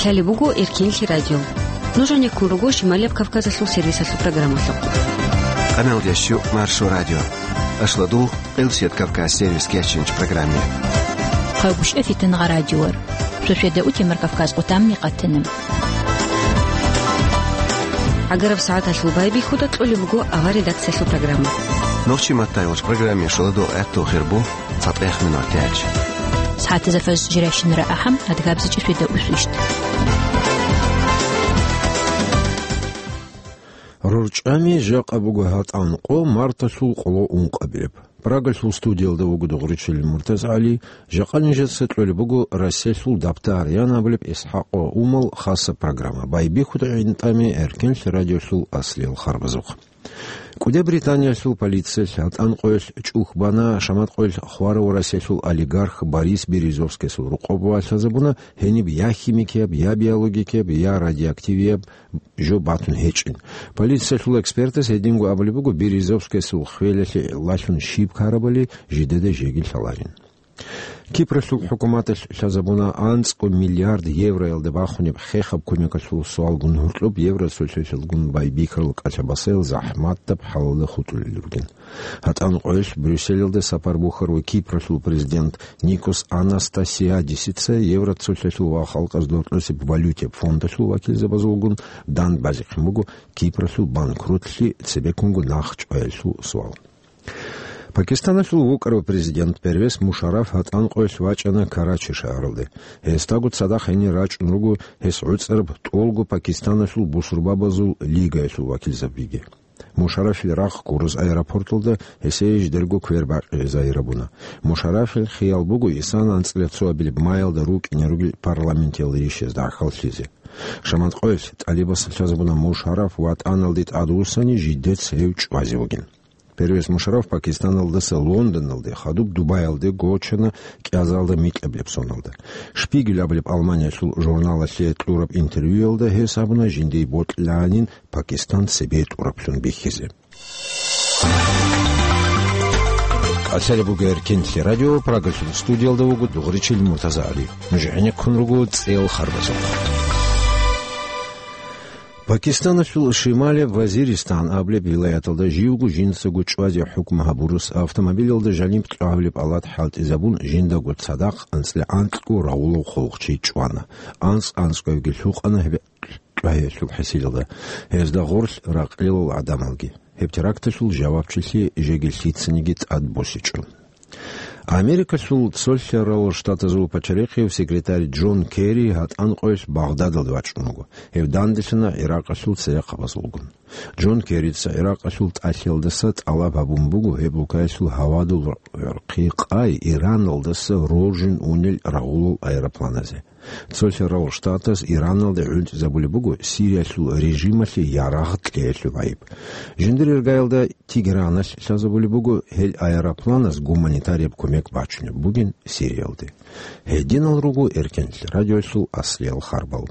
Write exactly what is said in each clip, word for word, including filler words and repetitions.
Гьале буго Эркенлъи радио. Нуж гьанеккун руго Шималияб Кавказалъул сервисалъул программалъухъ. Къаналдеш Маршо радио. Ашладул, Къилсият Кавказ сервис кечинч программе. Хъагушев Фитнагъа радиор. Шошеда утемар Кавказ къутамни къатана. ГӀагараб сагӀаталъул байбихьуда кьолеб буго авар редакциялъул программа. Нохчи маттайолч программе шоладо гӀатту хирбу. ЦатӀех минутач. СагӀатазда фаз жирайщинара ахӀам, адгабзичӀи шведа усвищт. РорчӀами жакъа буго гьатӀан къо марталъул къоло ункъабилеб. Прагалъул студиялда вуго дугъричил МуртазагӀали, жакъа нижеца кьолеб буго Россиялъул дабтар ян абулеб ИсхӀакъ ва Умал хасаб программа. Байбихьуда гӀинтӀами Эркенлъи радиолъул аслиял харбазухъ. КӀудияб Британиялъул полициялъ гьатӀан къоялъ чӀухь бана, шамат къоялъ хварав Россиялъул олигарх Борис Березовскиясул рокъоб ва лъазабуна гьениб я химикияб, я биологикияб, я радиоактивияб жо батун гьечӀин. Полициялъул экспертас гьединго абулеб буго, Березовскиясул хвелалъе лъалъун щиб ккарабали жидеда жеги лъаларин. Кипралъул хӀукуматалъ лъазабуна анцӀго миллиард евроялда бахунеб хехаб кумекалъул суалгун гьоркьоб евро цолъалъалгун байбихьарал кӀалъабасаял захӀматаб хӀалалда хутӀулел ругин. ГьатӀан къоялъ Брюсселалда сапар бухьарав Кипралъул президент Никос Анастасиадисица евро цолъалъул ва халкъаз дортлъусеб валютияб фондалъул вакилзабазулгун дандбазихъин буго Кипралъул банкротлъи цебеккунго нахъчӀваялъул суал. Пакистаналъул вукӀарав президент Первез Мушарраф гьатӀан къоялъ вачӀана Карачи шагьаралде. Гьесдаго цадахъ гьенир рачӀун руго гьес гӀуцӀараб тӀолго Пакистаналъул бусурбабазул лигаялъул вакилзабиги. Мушаррафил рахъ гуроз аэропорталда гьесие жидерго квер бакъизе загьир гьабуна. Мушаррафил хиял буго исан анцӀила цоабилеб маялда рукӀине ругел парламенталде йищазда гӀахьаллъизе. Шамат къоялъ тӀалибасда лъазабуна Мушарраф ватӀаналде тӀадвуссани жидец гьев чӀвазе вугин. Первез Мушарраф Пакистаналдаса Лондоналде, хадуб Дубаялде гочана кӀиазалда микьабилеб соналда. Шпигель абулеб Алманиялъул журналалъе кьураб интервьюялда гьес абуна жиндие бокьилаанин Пакистан цебе тӀураблъун бихьизе. Къалъалеб буго Эркенлъи радио, Прагалъул студиялда вуго дугъричил МуртазагӀали. Нуж гӀенеккун руго цӀел харбазухъ. Пакистаналъул шималияб Вазиристан абулеб вилаяталда живго жинцаго чӀвазе хӀукму гьабурус автомобилалда жаниб кьабулеб алат хӀалтӀизабун, жиндаго цадахъ анцӀила анкьго рагъулав хъулухъчи чӀвана. АнцӀ-анцӀгоябги лъукъана гьеб кьвагьиялъул хӀисилалда. Гьезда гъорлъ ракълилал гӀадамалги. Гьеб теракталъул жавабчилъи жеги лъицаниги тӀад босичӀо. Америкалъул цолъарал штатазул пачарихъив секретарь Джон Керри гьатӀан къоялъ Багъдадалде вачӀун вуго. Гьев данделъана ГӀиракъалъул церехъабазулгун. Джон Керрица ГӀиракъалъул тӀалъиялдаса тӀалаб гьабун буго гьеб улкаялъул гьавадул гӀурхъи къай Ираналдаса роржин унел рагъулал аэропланазе. Цолъарал штатас Ираналде гӀунтӀизабулеб буго Сириялъул режималъе ярагъ кьеялъул гӀайиб. Жиндир иргаялда Тегераналъ лъазабулеб буго гьел аэропланас гуманитарияб кумек бачунеб бугин Сириялде. Гьединал руго Эркенлъи радиоялъул аслиял харбал.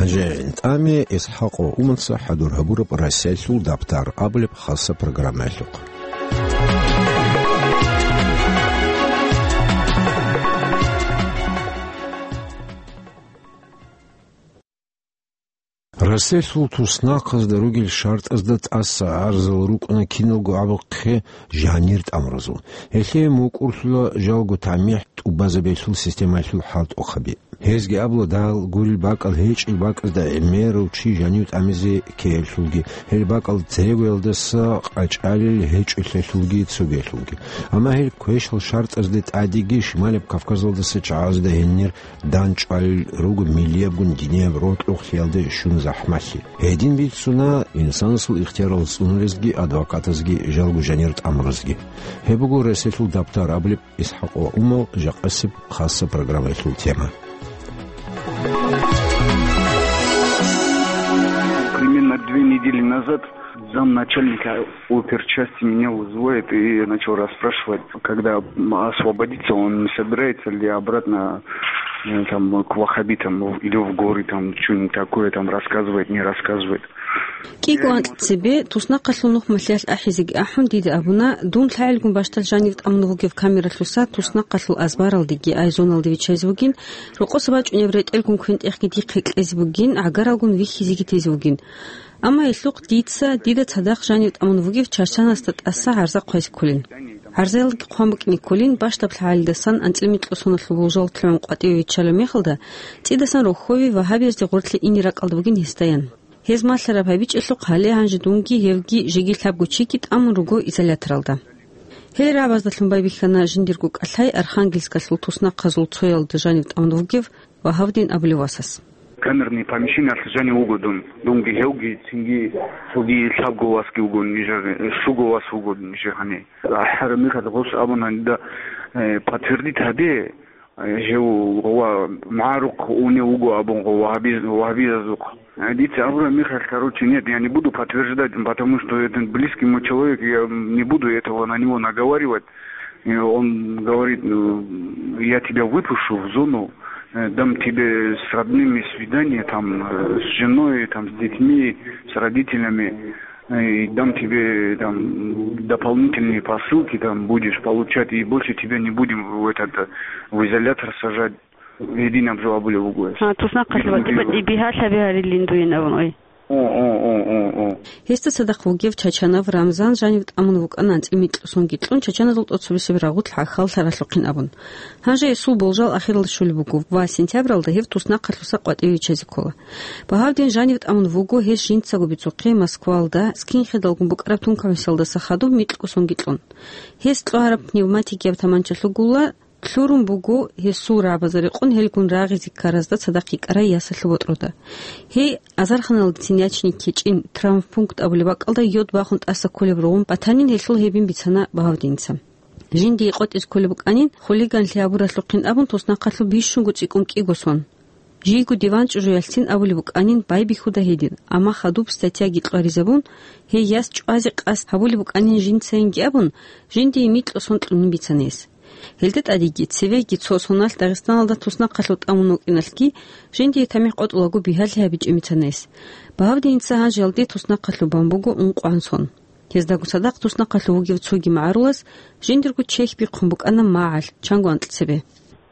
Гьанже гӀинтӀаме ИсхӀакъ ва Уманца хӀадур гьабураб Россиялъул дабтар абулеб хасаб программаялъухъ. Россиялъул туснахъазда ругел шартӀазда тӀаса гӀарзал рукӀана киналго абухъе жанир тӀамуразул. Гьелъие мукӀурлъула жалго тамихӀ тӀубазабиялъул системаялъул хӀалтӀухъаби. Гьезги абула, дагь гурел бакӀал гьечӀел бакӀазда гӀемерав чи жанив тӀамизе ккеялъулги, гьел бакӀал церегоялдаса къачӀалел гьечӀолъиялъулги цогиялъулги. Амма гьел квешал шартӀазде тӀадеги Шималаб Кавказалдаса чагӀазда гьенир дандчӀвалел руго миллиябгун динияб рокьухълъиялде щун захӀмалъи. Гьедин бицуна инсанасул ихтиярал цӀунулезги адвокатазги жалго жанир тӀамуразги. Гьеб буго Россиялъул дабтар абулеб ИсхӀакъ ва Умал жакъасеб хасаб программаялъул тема. Примерно две недели назад замначальника оперчасти меня вызывает и начал расспрашивать, когда освободится, он не собирается ли обратно, э, там, к ваххабитам или в горы, там, что-нибудь такое, там, рассказывает, не рассказывает. КӀиго анкь цебе, туснахъалъул нухмалъиялъ ахӀизеги ахӀун, дида абуна, дун лъагӀелгун бащдал жанив тӀамун вугев камералъуса туснахъалъул азбаралдеги айзоналде виччайзе вугин, рокъоса бачӀунеб ретӀелгун квен-тӀехги дихъе кьезе бугин, гӀагаралгун вихьизеги тезе вугин. Амма гьелъухъ дица дида цадахъ жанив тӀамун вугев Чачанасда тӀаса гӀарза хъвайзе кколин. ГӀарзаялги хъван букӀине кколин, бащдаб лъагӀалидасан анцӀила микьго соналъул болжал лъугӀун къватӀиве виччалеб мехалда, цӀидасан рохьове вагьабиязде гъорлъе ине ракӀалда бугин гьесдаян. Гьез малъараб гьабичӀелъухъ гьале гьанже дунги гьевги жеги лъабго чиги тӀамун руго изоляторалда. Гьел рагӀабаздалъун байбихьана жиндирго кӀалъай Архангельскалъул туснахъазул цоялда жанив тӀамун вугев Вагьавдин абулев васас. Камерный помещениялъ жанив вуго дун. Дунги гьевги, цинги цоги лъабго васги вуго нижер, щуго вас вуго нижер гьаниб. АхӀараб мехалъ гъос абуна дида, э, подтвердить гьабе, э, гьев ва магӀарухъ унев вуго абун, гъо вагьаби-, вагьабиязухъ. Э, дица абураб мехалъ, короче, нет, я не буду подтверждать, потому что это близкий мой человек, я не буду этого на него наговаривать. Э, он говорит, э, я тебя выпущу в зону, э, дам тебе с родными свидание, там, э, с женой, там, с детьми, с родителями, э, и дам тебе, там, дополнительные посылки, там, будешь получать, и больше тебя не будем в этот, э, в изолятор сажать. Гьединаб жо абулев вуго гьес. А, туснахъалъув ватӀи-батӀи бигьалъаби гьарилин дуе абун, ой. О, о, о, о, о. Гьесда цадахъ вугев Чачанав Рамзан жанив тӀамун вукӀана анцӀила микьго сонги кьун, чачаназул тӀоцебесеб рагъулъ гӀахьаллъаралъухъин абун. Гьанже гьесул болжал ахиралде щолеб буго ва сентябралда гьев туснахъалъуса къватӀиве виччазе ккола. Багьавдин жанив тӀамун вуго гьес жинцаго бицухъе Москвалда скинхедалгун букӀараб тункабасалдаса хадуб микьго сонги кьун. Гьес кьвагьараб пневматикияб таманчалъугула Лъурун буго гьесул рагӀабазда рекъон гьелгун рагъизе ккаразда цадахъ йикӀарай ясалъул ботӀрода. Гьей азарханалдецин ячине ккечӀин, травмпункт абулеб бакӀалда йод бахун тӀаса кколеб ругъун батанин гьелъул гьебин бицана Багьавдиница. Жиндие къотӀизе кколеб букӀанин, хулиганлъи гьабуралъухъин абун, туснахъалъув бищунго цӀикӀкӀун кӀиго сон. Жийго диван чӀужуялъцин абулеб букӀанин байбихьуда гьедин, амма хадуб статьяги кьваризабун, гьей яс чӀвазе къасд гьабулеб букӀанин жинцайинги абун, жиндие микьго сон кьунин бицана гьес. Гьелда тӀадеги, цевеги цо соналъ Дагъистаналда туснахъалъув тӀамун вукӀиналъги, жиндие тамихӀ къотӀулаго бигьалъи гьабичӀин бицана гьес. Багьавдиница гьанжеялде туснахъалъув бан буго ункъгӀан сон. Гьездаго цадахъ туснахъалъув вугев цоги магӀарулас жиндирго чехь бихъун букӀана магӀалъ, чанго анкьцебе.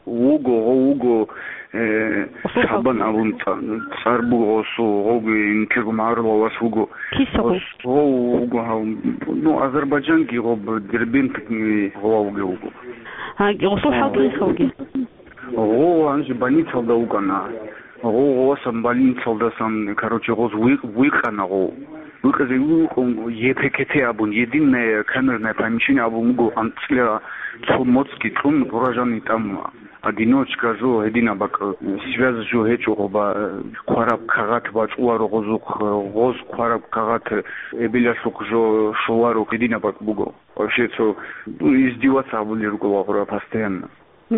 Вуго, гъов вуго, э, Шагьбан абун цӀа-, цӀар буго гъосул, гъовги инкерго магӀарулав вас вуго. Киса гъов? Гъос, гъов вуго гьав, ну, Азербайджанги гъоб, Дербент, э, гъова вугев вуго. А, гъосул хӀал дагьиха вугев? Гъов гьанже больницалда вукӀана. Гъов гъовасан больницалдасан, короче, гъоз вуй-, вуйкъана гъов. Вуйкъизе вукӀун Е П К Т абун, единое камерное помещение абун буго, анцӀила цо моцӀги кьун, гъура жанив тӀамун. Одиночка жо гьединаб бакӀ, связь жо гьечӀо гъоба, хъвараб кагъат бачӀуларо гъозухъ, гъоз хъвараб кагъат эбелалъухъ жо щоларо гьединаб бакӀ буго. Вообще цо, ну, издеваться абулел руго гъура постоянно.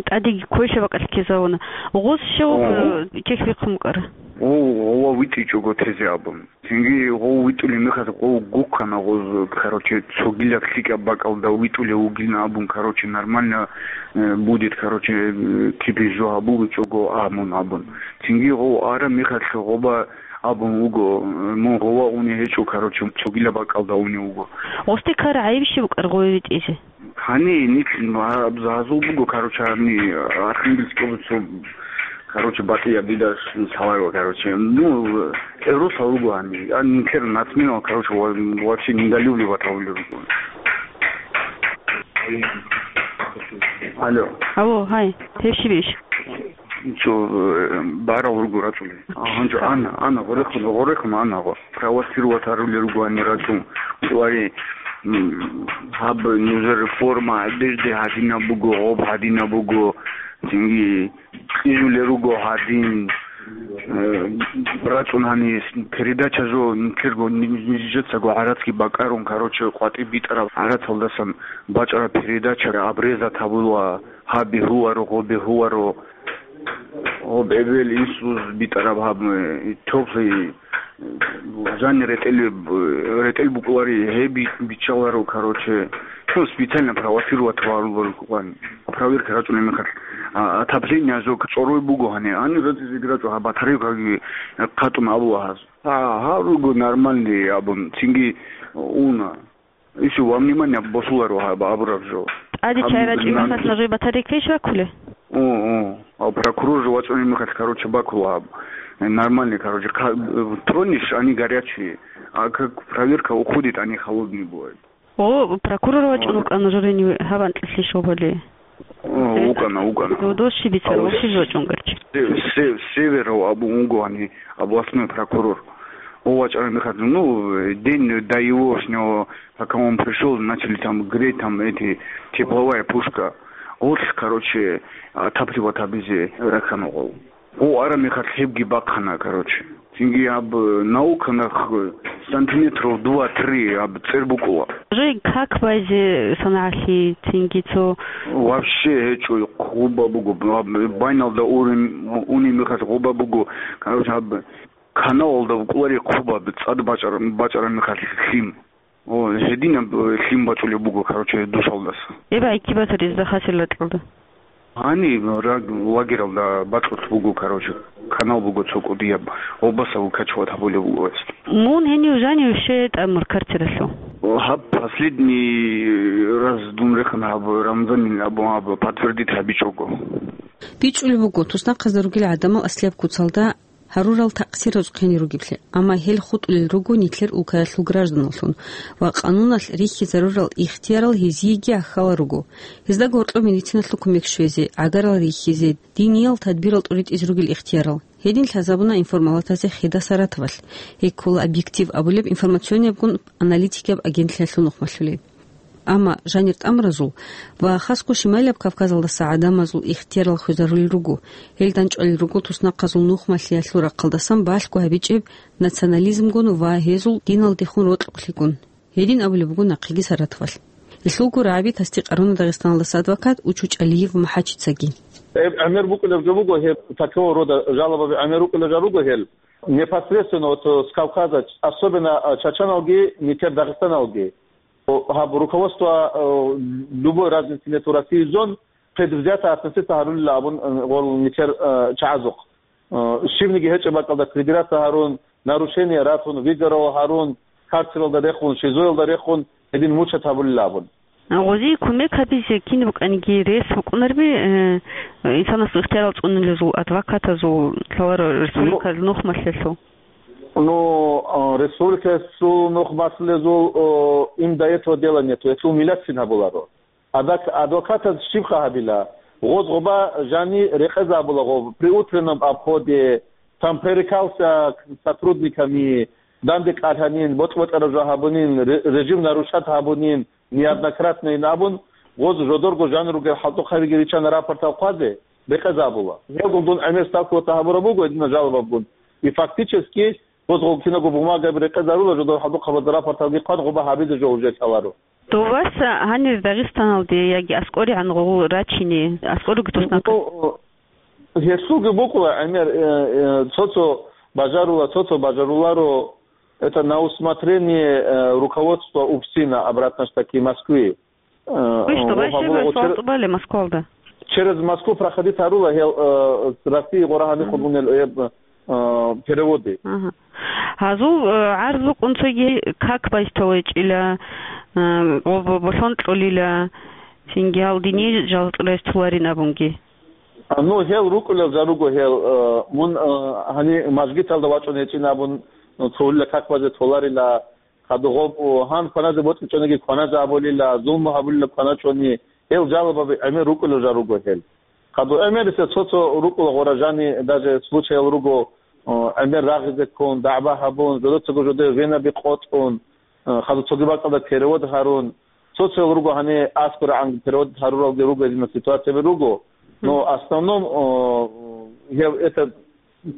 ТӀадеги квеша бакӀалъ ккезавуна. Гъоз щав, О. э, чехь бихъун букӀара? О, гъова витӀичӀого тезе абун. Цинги гъов витӀулеб мехалъ гъов гуккана гъоз, короче, цогилаб лъикӀаб бакӀалда витӀулев вугилан абун, короче, нормально, э, будет, короче, э, кибе жо гьабулчӀого амун абун. Цинги гъов араб мехалъ гъоба абун вуго, э, мун гъова уни гьечӀо, короче, цогилаб бакӀалда уни вуго. Гъосде ккара гӀайиб щиб букӀар гъове витӀизе? Гьани, нилъ гьаб-, гьазул буго, короче, гьани, Архангельского цо, короче, батӀияб дида ш-, лъаларо, короче. Ну, э, росал руго гьани. А нилъер нацменал, короче, ва-, вообще недолюбливать гьавулел руго. Алло. Алло, гьай, гьеб щиб иш? Цо, э, барал руго рацӀцӀулеб. А, гьанже ана, ана, гъорехун, гъорехун ана гъо. Провоцировать гьарулел руго гьанир рацӀцӀун. Вари, м, гьаб нужер форма, одежда гьадинаб буго, гъоб гьадинаб буго, цинги кьижулел руго гьадин. Э, рацӀцӀун гьанир передача жо, нилъерго, ни-, нижецаго гӀарацги бакӀарун, короче, къватӀиб битӀараб гӀарацалдасан бачӀараб передача обрезать гьабула, гьаб бегьуларо, гъоб бегьуларо. Гъоб эбел инсуз битӀараб гьаб, э, тёплый, э, жанир ретӀел, э, ретӀел букӀулари, гьеб би-, биччаларо, короче. Ну, специально провоцировать гьарулел рукӀан. Проверка рачӀунеб мехалъ, а, отопление жо цӀорой буго гьаниб. Гьаниб рацӀцӀизеги рачӀо, гьаб батарейкаги хъатӀун абула гьаз. А, гьаб руго нормальный абун, цинги уна. Ишо во внимание босуларо гьаб абураб жо. ТӀаде Гьаб чай рачӀи нан- мехалъ нажой батарейкайищ ваккулей? О, о. А прокурор жо вачӀунеб мехалъ, короче, бакула гьаб. Нормальный, короче, ка-, тронешь, они горячие. А как проверка уходит, они холодные бывают. О, прокурор вачӀун Ага. вукӀана журени гьаб анкьилъи щобали. О, вукӀана, вукӀана. Додо щиб бицар, Ау, вовши жо вачӀун гарчи. Се-, се-, Северов абун вуго гьани, областной прокурор. О, вачӀараб мехалъ, ну, день до егошнего, пока он пришёл, начали там греть, там эти, тепловая пушка. Гъорлъ, короче, отапливать гьабизе рахана гъов. О, араб мехалъ гьебги бахъана, короче. Цинги гьаб, э, науканах, э, сантиметров два-три гьаб цӀер букӀула. Жай как байзе санагӀалъи цинги цо? Вообще гьечӀо, хъуба буго. Гьаб байналда урин, унеб мехалъ хъуба буго. Короче, гьаб каналалда букӀулари хъуба, цӀад бачӀар-, бачӀараб мехалъ лъим. О, гьединаб, э, лъим бачӀулеб буго, короче, дусалдаса. Эба гӀикибатар изда хасил ракьалда? Гьани раг-, лагералда бакьулъ буго, короче, канал буго цо кӀудияб, гъобасаб качват гьабулеб буго гьес. Мун гьенив жанив щвей тӀамур карцералъув? Гьаб последний раз дун рехун гьаб Рамзанил абун гьаб подтвердить гьабичӀого. БичӀулеб буго, туснахъазда ругел гӀадамал аслияб куцалда гьарурал такъсир рузкъине ругеблъи, амма гьел хутӀулел руго нилъер улкаялъул гражданаллъун ва къануналъ рихьизарурал ихтиярал гьезиеги гӀахьалал руго. Гьезда гьоркьоб медициналъул кумек щвезе, гӀагарал рихьизе, диниял тадбирал тӀуритӀизе ругел ихтиярал. Гьедин лъазабуна информалатазе Хида Саратовалъ, гьей ккола «Объектив» абулеб информациониябгун аналитикияб агентлъиялъул нухмалъулей. Амма жанир тӀамуразул ва хасго Шимайлаб Кавказалдаса гӀадамазул ихтиярал хвезарулел руго. Гьел данчӀвалел руго туснахъазул нухмалъиялъул рахъалдасан балъго гьабичӀеб национализмгун ва гьезул диналдехун рокьукълъигун. Гьедин абулеб буго нахъеги Саратовалъ. Гьелъулго рагӀаби тасдикъ гьаруна Дагъистаналдаса адвокат Учучалиев МухӀачицаги. Гьеб гӀемер букӀулеб жо буго, гьеб такого рода жалобаби гӀемер рукӀулеб жо руго гьел. Непосредственно вот, э, с Кавказа, особенно, э, чачаналги, нилъер дагъистаналги. О, гьаб руководство, э, любой разницы нету России зон, предвзято относиться гьарулила абун, э, гъол нилъер, э, чагӀазухъ. Э, щибниги гьечӀеб бакӀалда придираться гьарун, нарушение ратун, выговор гьарун, карцералда рехун, шизоялда рехун, гьедин мучат гьабулила абун. Гъозие кумек гьабизе кин букӀаниги рес букӀунарби, э, инсанасул ихтиярал цӀунулезул, адвокатазул, лъаларо республикалъул Ну, нухмалъиялъул? Ну, э, республикалъул нухмалъулезул, э, им до этого дела нету, гьелъул миллатцин гьабуларо. Адак-, адвокатаз щибха гьабила? Гъоз гъоба жани рекъезабула гъоб при утреннем обходе, там пререкался к сотрудниками, данде кӀалъанин, бокь-бокьараб жо гьабунин, ре-, режим нарушать гьабунин, неоднократно ин абун, гъоз жодорго жан ругел хӀалтӀухъабиги риччана рапортал хъвазе, рекъезабула. Гьелгун дун гӀемер ставкаялда гьабураб буго гьединаб жалобабгун. И фактически гъоз гъол кинабго бумагаби рекъезарула, жодор хӀалтӀухъабазда рапорталги хъван гъоба гьабизе жо уже лъаларо. Дов вас гьанир Дагъистаналде яги аскӀоригӀан гъов рачине, аскӀоруги туснахъе? Ну, гьелъулги букӀула гӀемер, э, э, цо-цо бажарула, цо-цо бажарула, это на усмотрение, э, руководства УФСИНа, обратно ж таки Москвы. Э, Вы что, гъоб вообще гьабула гъо-, суал чер-, тӀубале Москвалда? Через Москву проходить гьарула гьел, э, России гъора гьанихъ бугунел, э, э, переводы. Ага. Гьазул, э, гӀарз букӀун цоги как байстолайчӀила, э, ва бо-, болъон кьолила, цинги гьал дине жал цӀурайс туларин абунги. А, ну, гьел рукӀулел жо руго гьел, э, мун, э, гьани мажгиталда вачӀун гьечӀин абун, э, цолила как базе толарила, хадугъоб, о, гьан кваназе бокьичӀониги кваназе абулила, зулму гьабулила кваначӀони, гьел жалобаби гӀемер рукӀулел жо руго гьел. Хадур гӀемериса цо-цо рукӀула гъора жани даже случаял руго, о, гӀемер рагъизе ккун, дагӀба гьабун, жодоцаго жодое венаби къотӀун, э, хадур цоги бакӀалда перевод гьарун, цо-цоял руго гьанир аскӀоригӀан перевод гьаруралги руго, гьединал ситуацияби руго. Но основном, о, гьев это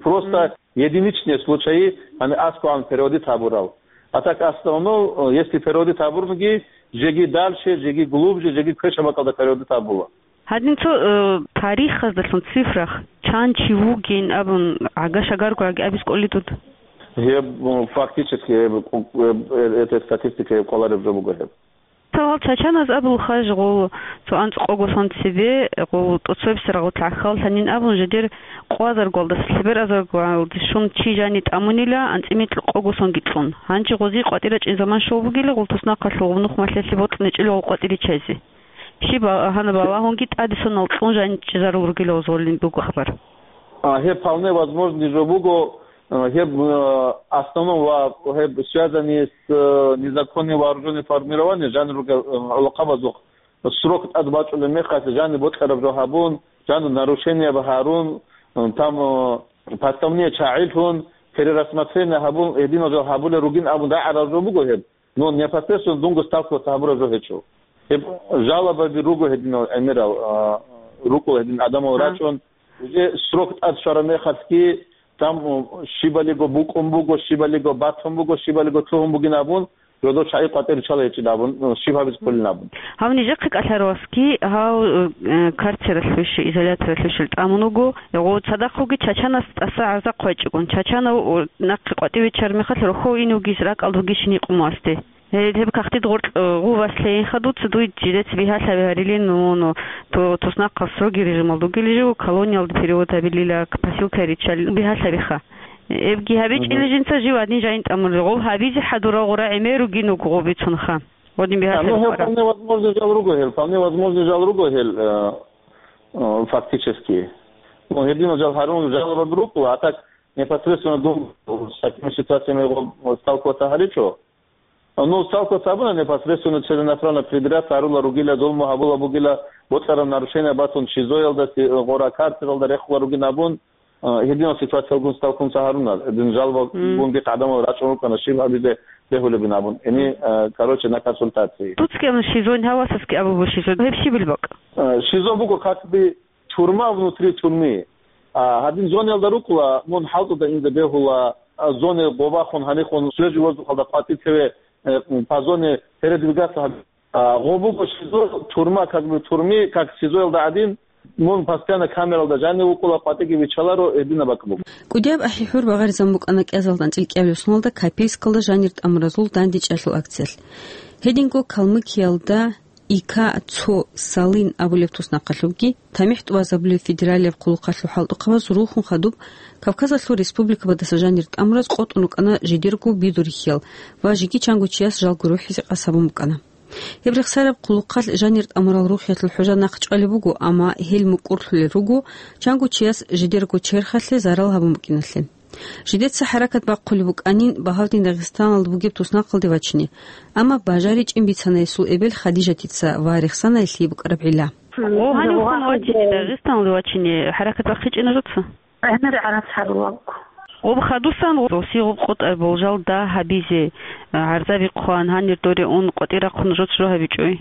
просто единичные случаи, гьанир аскӀоригӀан переводить гьабурал. А так основном, о, если переводить гьабурнги, жеги дальше, жеги глубже, жеги квешаб бакӀалда переводить гьабула. Гьадин цо, э, тарихдалъун цифрах, чан чи вугин абун, гӀага-шагарго гӀаги абиз кӀолидуд? Гьеб, м, фактически, гьеб, э, э, это статистика гьеб кӀолареб жо буго гьеб. Тавал чачаназ абул хаж гъол цо анцӀ къого сон цебе, гъол тӀоцебсарагъут гӀахьаллъанин абун жидер къвазаргвалдаса лъеберазаргвалде щун чи жани тӀамунила анцӀи микьу къого сонги кьун. Гьанже гъози къватӀира чӀин заман щол бугила гъол туснахъалъув гъубнухъ малъелъи бокьничӀила гъол къватӀиричайзе. Щиб а-, гьанаб Аллагьунги тӀаде сонал кьун жани чӀезарул ругила гъозолин буго хабар. А, гьеб вполне возможный жо буго, а, гьеб, а, основном ва гьеб связанный с, э, незаконным вооружённым формированием, жанир ругел, э, гӀолохъабазухъ срок тӀад бачӀулеб мехалъ, жаниб бокьараб жо гьабун, жаниб нарушенияб гьарун, э, там, э, поставне чагӀи лъун, перерассмотрение гьабун, гьединал жо гьабулел ругин абун рагӀарал жо буго гьеб. Но непосредственно дунго сталкиваться гьабураб жо гьечӀо. Гьеб жалобаби руго гьединал гӀемерал, а, рукӀула гьедин адамал А. рачӀун, уже срок тӀад щвараб мехалъги, там, м, щибалиго букӀун буго, щибалиго батун буго, щибалиго лъугьун бугин абун, жодор чагӀи къватӀир ричала гьечӀин абун, м, щиб гьабиз кколин абун. Гьав нижехъе кӀалъаравасги гьав, э, карцералъувищ, изоляторалъувищ тӀамун вуго. Гъо цадахъ вуги чачанас тӀаса гӀарза хъвайчӀогун. Чачанав, о, нахъе къватӀив виччараб мехалъ рохьов ин вугищ, ракӀалда вугищ гьениб къумуасде. Гьеб, гьеб кагътид гъоркь, э, гъувас лъейин хадуца дуй жидец бигьалъаби гьарилин, ну, ну, то-, туснахъал строгий режималда вугилищ жив, колониялда перевод гьабилила, к-, посылкай риччалил бигьалъабиха. Эбги гьабичӀила Мгм. жинца жив гьадин жайин тӀамулел. Гъов гьабизе хӀадурал гъура гӀемер ругин вуго гъов бицунха. Гъодин А, бигьалъаби ну, гьеб хъвара. Вполне возможный жал руго гьел, вполне возможный жал руго гьел, э, э, фактически. Ну, гьединал жал гьарун жалобаби рукӀула, а так непосредственно дун с такими ситуациями гъо-, сталкиваться гьаричӀо. Ну, сталкиваться гьабуна непосредственно целенаправленно придраться гьарула ругила, зулму гьабула бугила, бокьараб нарушение батун ШИЗОялда си-, гъора карцералда рехула ругин абун, а, гьединал ситуациялгун сталкиваться гьаруна. Гьедин жалобагун Мгм. бихъ гӀадамал рачӀун рукӀана, щиб гьабизе бегьулебин абун. Гьени, а, короче, на консультации. Туцкияб ШИЗО, гьавасасги абулеб ШИЗО. Гьеб щибил бакӀ? А, ШИЗО буго как бы тюрьма внутри тюрьмы. А, гьадин зонаялда рукӀула, мун хӀалтӀуда инзе бегьула, а, зоне гъобахун, гьанихун, свежий воздухалда къватӀи цеве, э, по зоне передвигаться гьаб-, а, гъо буго ШИЗО, тюрьма, как бы, тюрьмы, как ШИЗОялда гӀадин, мун постоянно камералда жанив вукӀула, къватӀиги виччаларо, гьединаб бакӀ буго. КӀудияб ахӀи-хӀур багъаризан букӀана кӀиазалда анцӀил кӀиабилеб соналда Копейскалда жанир тӀамуразул дандечӀалъул акциялъ. Гьединго Калмыкиялда ИК цо Салин абулеб туснахъалъубги, тамихӀ тӀубазабулеб федералияб хъулухъалъул хӀалтӀухъабаз рухун хадуб Кавказалъул республикабадаса жанир тӀамураз къотӀун рукӀана жидерго бидурихьиял ва жеги чанго чияс жалго рухӀизе къасабун букӀана. Гьеб рехсараб хъулухъалъ жанир тӀамурал рухӀиялъул хӀужа нахъ чӀвалеб буго, амма гьел мукӀурлъулел руго чанго чияс жидерго черхалъе зарал гьабун букӀиналъе. Жидеца хӀаракат бахъулеб букӀанин Багьавдин Дагъистаналда бугеб туснахъалде вачине, амма бажаричӀин бицана гьесул эбел Хадижатица ва рехсана гьелъие букӀараб гӀилла. Гъо гьанив хун вачине, Дагъистаналде вачине хӀаракат бахъичӀина жуца? ГӀемер гӀарац гьарулабго. Гъоб хадусан гъосие гъоб къотӀар болжал дагь гьабизе, гӀарзаби хъван, гьанир доре ун къватӀир рахъун жуц жо гьабичӀой.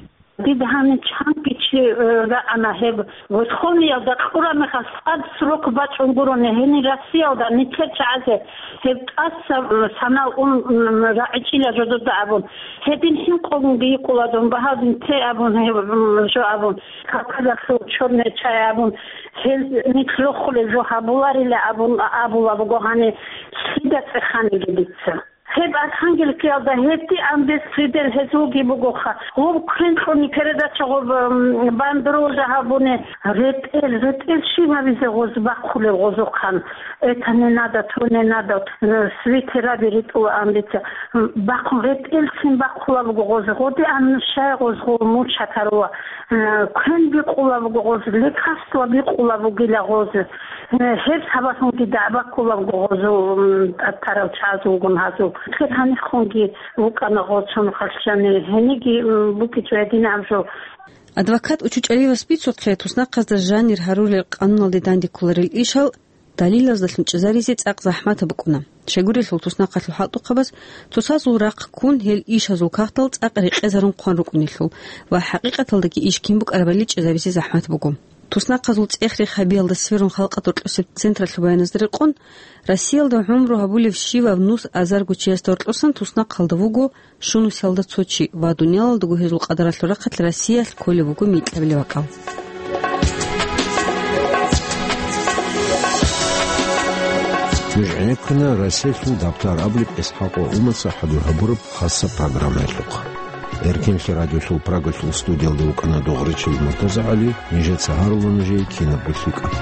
Дида гьанив чанги чи, э, рагӀана гьеб Верховныйалда кьураб мехалъ цӀакъ срок бачӀун гурони, гьенир Россиялда нилъер чагӀазе гьеб тӀаса, э, санал ун, м, рагӀичӀила жодода абун. Гьедин хӀинкъунги йикъула дун, багьадин те абун гьеб, м, жо абун, Кавказалъул чорнечай абун, гьез нилъ рохулел жо гьабуларила абун абула буго гьанив лъида цӀеханилеб дица. Гьеб Архангельскиялда гьеб Андес Фридер гьезулги бугоха. Гъоб квен кьуни передача гъоб, м, бандеролда гьабуни, ретӀел, ретӀел щиб гьабизе гъоз бахъулев гъозухъан. Это не надо, то не надо, э, свитера биритӀула андеца. М, бахъун ретӀелцин бахъула буго гъоз. Гъоди аннушай гъоз гъол мучатарула. Э, квен бикъула буго гъоз, лекарство бикъула бугила гъоз. Э, гьеб сабаблъунги дагӀба ккула буго гъозул, м, тӀатарал чагӀазулгун гьазул. Хир гьанихъунги вукӀана гъол цо нухалъ жанир, гьениги, м, букӀичӀо гьединаб жо. Адвокат УчучӀаливас бицухъе, туснахъазда жанир гьарулел къануналде данде кколарел ишал далилаздалъун чӀезаризе цӀакъ захӀматаб букӀуна. Щайгурелъул туснахъалъул хӀалтӀухъабаз цоцазул рахъ ккун гьел ишазул кагътал цӀакъ рекъезарун хъван рукӀунелъул ва хӀакъикъаталдаги иш кин букӀарабали чӀезабизе захӀмат буго. Туснахъазул цӀех-рех гьабиялда сверун халкъалъ рокьусеб централъул баяназда рекъон, Россиялда гӀумру гьабулев щивав нус азарго чиясда гьоркьосан туснахъалда вуго щунусиялда цо чи ва дуниялалдаго гьезул къадаралъул рахъалъ Россиялъ кколеб буго микьабилеб бакӀал. Нуж гӀенеккуна Россиялъул дабтар абулеб ИсхӀакъ ва Умаца хӀадур гьабураб хасаб программаялъухъ. Эркенлъи радиолъул Прагалъул студиялда вукӀана Догъричил МуртазагӀали, нижеца гьарула нужее кинабго лъикӀаб.